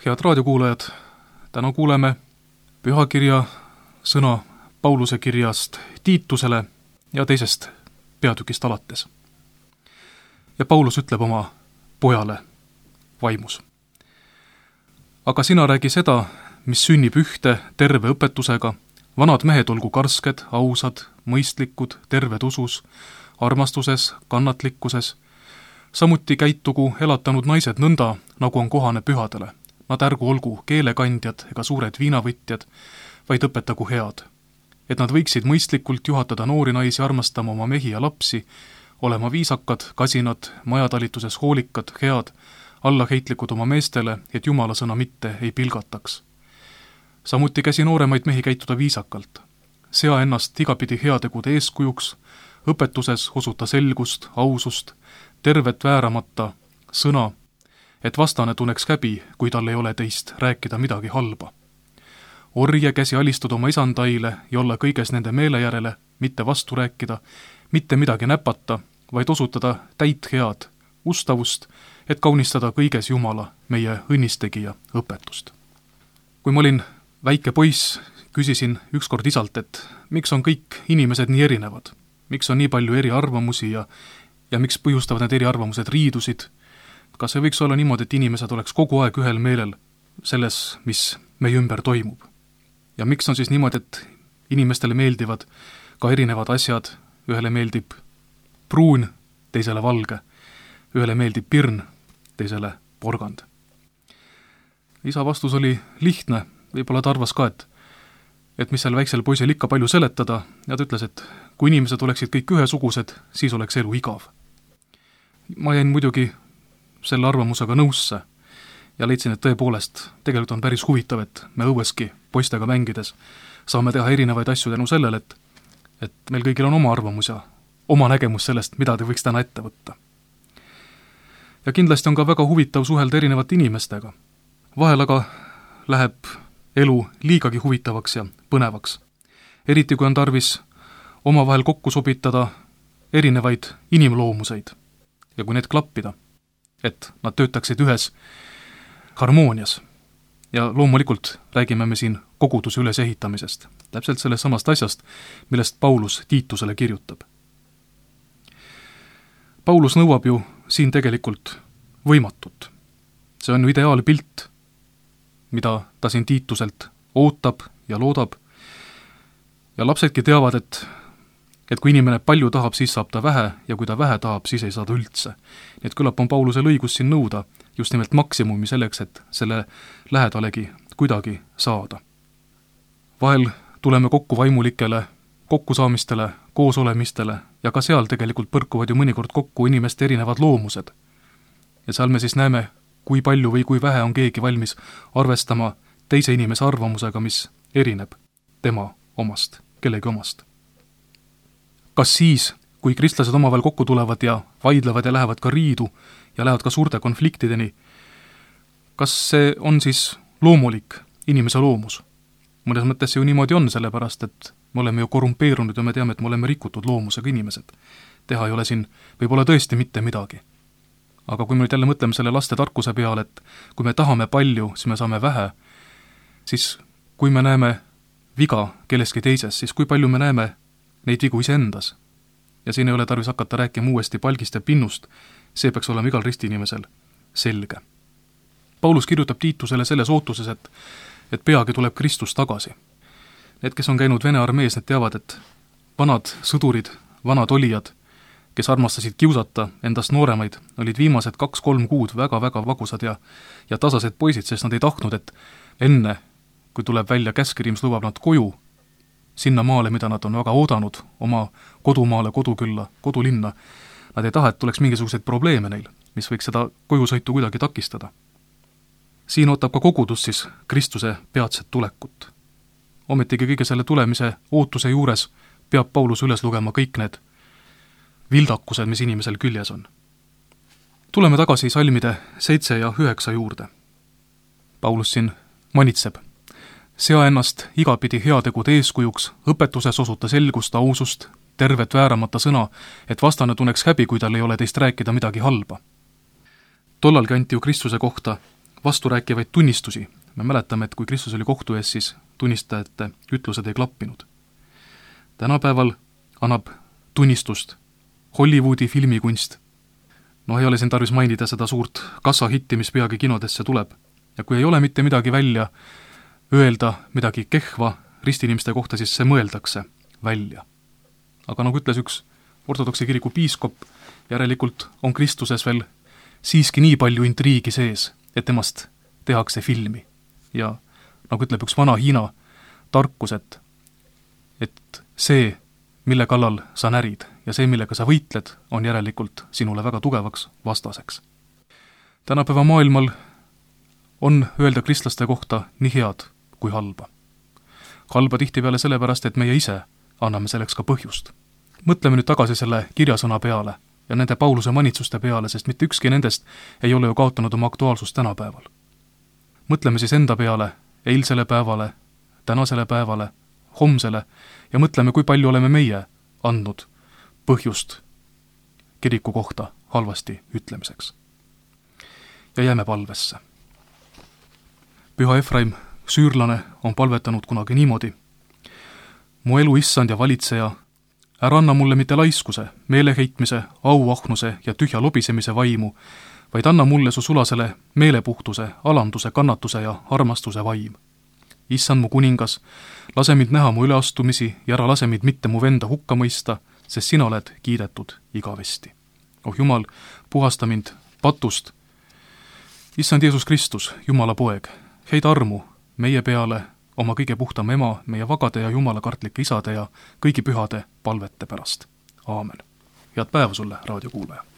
Head raadiokuulajad, täna kuuleme pühakirja sõna Pauluse kirjast Tiitusele ja teisest peatükist alates. Ja Paulus ütleb oma pojale vaimus. Aga sina räägi seda, mis sünnib ühte terve õpetusega, vanad mehed olgu karsked, ausad, mõistlikud, terved usus, armastuses, kannatlikkuses, samuti käitugu elatanud naised nõnda, nagu on kohane pühadele. Nad ärgu olgu keelekandjad ega suured viinavõtjad, vaid õpetagu head. Et nad võiksid mõistlikult juhatada noori naisi armastama oma mehi ja lapsi, olema viisakad, kasinad, majatalituses hoolikad, head, allaheitlikud oma meestele, et Jumala sõna mitte ei pilgataks. Samuti käsi nooremaid mehi käituda viisakalt. Sea ennast igapidi heategude eeskujuks, õpetuses osuta selgust, ausust, tervet vääramata sõna, et vastane tunneks käbi, kui tal ei ole teist rääkida midagi halba. Orje käsi alistud oma isandaile ja olla kõiges nende meele järele, mitte vastu rääkida, mitte midagi näpata, vaid osutada täit head ustavust, et kaunistada kõiges Jumala, meie õnnistegija õpetust. Kui ma olin väike poiss, küsisin ükskord isalt, et miks on kõik inimesed nii erinevad, miks on nii palju eriarvamusi ja miks põhjustavad need eriarvamused riidusid. Kas see võiks olla niimoodi, et inimesed oleks kogu aeg ühel meelel selles, mis meie ümber toimub? Ja miks on siis niimoodi, et inimestele meeldivad ka erinevad asjad, ühele meeldib pruun, teisele valge, ühele meeldib pirn, teisele porgand? Isa vastus oli lihtne, võib-olla ta arvas ka, et mis seal väiksel poisil ikka palju seletada, ja ta ütles, et kui inimesed oleksid kõik ühesugused, siis oleks elu igav. Ma jäin muidugi selle arvamusega nõusse ja leidsin, et tõepoolest tegelikult on päris huvitav, et me õueski poistega mängides saame teha erinevaid asju tänu sellele, et meil kõigil on oma arvamus ja oma nägemus sellest, mida te võiks täna ette võtta. Ja kindlasti on ka väga huvitav suhelda erinevate inimestega. Vahel aga läheb elu liigagi huvitavaks ja põnevaks. Eriti kui on tarvis omavahel kokku sobitada erinevaid inimloomuseid ja kui need klappida, et nad töötaksid ühes harmoonias. Ja loomulikult räägime me siin koguduse ülesehitamisest, täpselt sellest samast asjast, millest Paulus Tiitusele kirjutab. Paulus nõuab ju siin tegelikult võimatut. See on ju ideaalpilt, mida ta siin Tiituselt ootab ja loodab. Ja lapsedki teavad, et kui inimene palju tahab, siis saab ta vähe, ja kui ta vähe tahab, siis ei saa ta üldse. Nii et küllap on Paulusel õigus siin nõuda just nimelt maksimumi selleks, et selle lähedalegi kuidagi saada. Vahel tuleme kokku vaimulikele, kokkusaamistele, koosolemistele ja ka seal tegelikult põrkuvad ju mõnikord kokku inimeste erinevad loomused. Ja seal me siis näeme, kui palju või kui vähe on keegi valmis arvestama teise inimese arvamusega, mis erineb tema omast, kellegi omast. Kas siis, kui kristlased omavahel kokku tulevad ja vaidlevad ja lähevad ka riidu ja lähevad ka suurte konfliktideni, kas see on siis loomulik inimese loomus? Mõnes mõttes see ju niimoodi on, sellepärast, et me oleme ju korrumpeerunud ja me teame, et me oleme rikutud loomusega inimesed. Teha ei ole siin võib-olla tõesti mitte midagi. Aga kui me nüüd jälle mõtleme selle laste tarkuse peale, et kui me tahame palju, siis me saame vähe, siis kui me näeme viga kelleski teises, siis kui palju me näeme neid vigu iseendas. Ja siin ei ole tarvis hakata rääkima uuesti palgist ja pinnust, see peaks olema igal ristiinimesel selge. Paulus kirjutab Tiitusele selles ootuses, et peagi tuleb Kristus tagasi. Need, kes on käinud Vene armees, need teavad, et vanad sõdurid, vanad olijad, kes armastasid kiusata endast nooremaid, olid viimased 2-3 kuud väga-väga vagusad ja tasased poisid, sest nad ei tahtnud, et enne, kui tuleb välja käskiri, mis lubab nad koju, sinna maale, mida nad on väga oodanud, oma kodumaale, kodukülla, kodulinna. Nad ei taha, et tuleks mingisuguseid probleeme neil, mis võiks seda kojusõitu kuidagi takistada. Siin ootab ka kogudus siis Kristuse peatset tulekut. Ometigi kõige selle tulemise ootuse juures peab Paulus üles lugema kõik need vildakused, mis inimesel küljes on. Tuleme tagasi salmide 7 ja 9 juurde. Paulus siin manitseb. Sea ennast igapidi heategude eeskujuks, õpetuses osuta selgust, ausust, tervet vääramata sõna, et vastane tunneks häbi, kui tal ei ole teist rääkida midagi halba. Tollalgi anti ju Kristuse kohta vasturääkivaid tunnistusi. Me mäletame, et kui Kristus oli kohtu ees, siis tunnistajate ütlused ei klappinud. Tänapäeval annab tunnistust Hollywoodi filmikunst. Ei ole siin tarvis mainida seda suurt kassahitti, mis peagi kinodesse tuleb. Ja kui ei ole mitte midagi välja öelda, midagi kehva ristinimiste kohta, siis see mõeldakse välja. Aga nagu ütles üks ortodoksi kiriku piiskop, järelikult on Kristuses veel siiski nii palju intriigi sees, et temast tehakse filmi. Ja nagu ütleb üks vana Hiina tarkus, et see, mille kallal sa närid ja see, millega sa võitled, on järelikult sinule väga tugevaks vastaseks. Tänapäeva maailmal on öelda kristlaste kohta nii head kui halba. Halba tihtipeale sellepärast, et meie ise anname selleks ka põhjust. Mõtleme nüüd tagasi selle kirjasõna peale ja nende Pauluse manitsuste peale, sest mitte ükski nendest ei ole ju kaotanud oma aktuaalsust tänapäeval. Mõtleme siis enda peale, eilsele päevale, tänasele päevale, homsele ja mõtleme, kui palju oleme meie andnud põhjust kiriku kohta halvasti ütlemiseks. Ja jääme palvesse. Püha Efraim, süürlane, on palvetanud kunagi niimoodi. Mu elu issand ja valitseja, ära anna mulle mitte laiskuse, meeleheitmise, auahnuse ja tühja lobisemise vaimu, vaid anna mulle su sulasele meelepuhtuse, alanduse, kannatuse ja armastuse vaim. Issand mu kuningas, lase mind näha mu üleastumisi ja ära lase mind mitte mu venda hukka mõista, sest sina oled kiidetud igavesti. Oh Jumal, puhasta mind patust. Issand Jeesus Kristus, Jumala poeg, heida armu meie peale oma kõige puhtama ema, meie vagade ja jumalakartlike isade ja kõigi pühade palvete pärast. Aamen. Head päeva sulle, raadiokuulaja!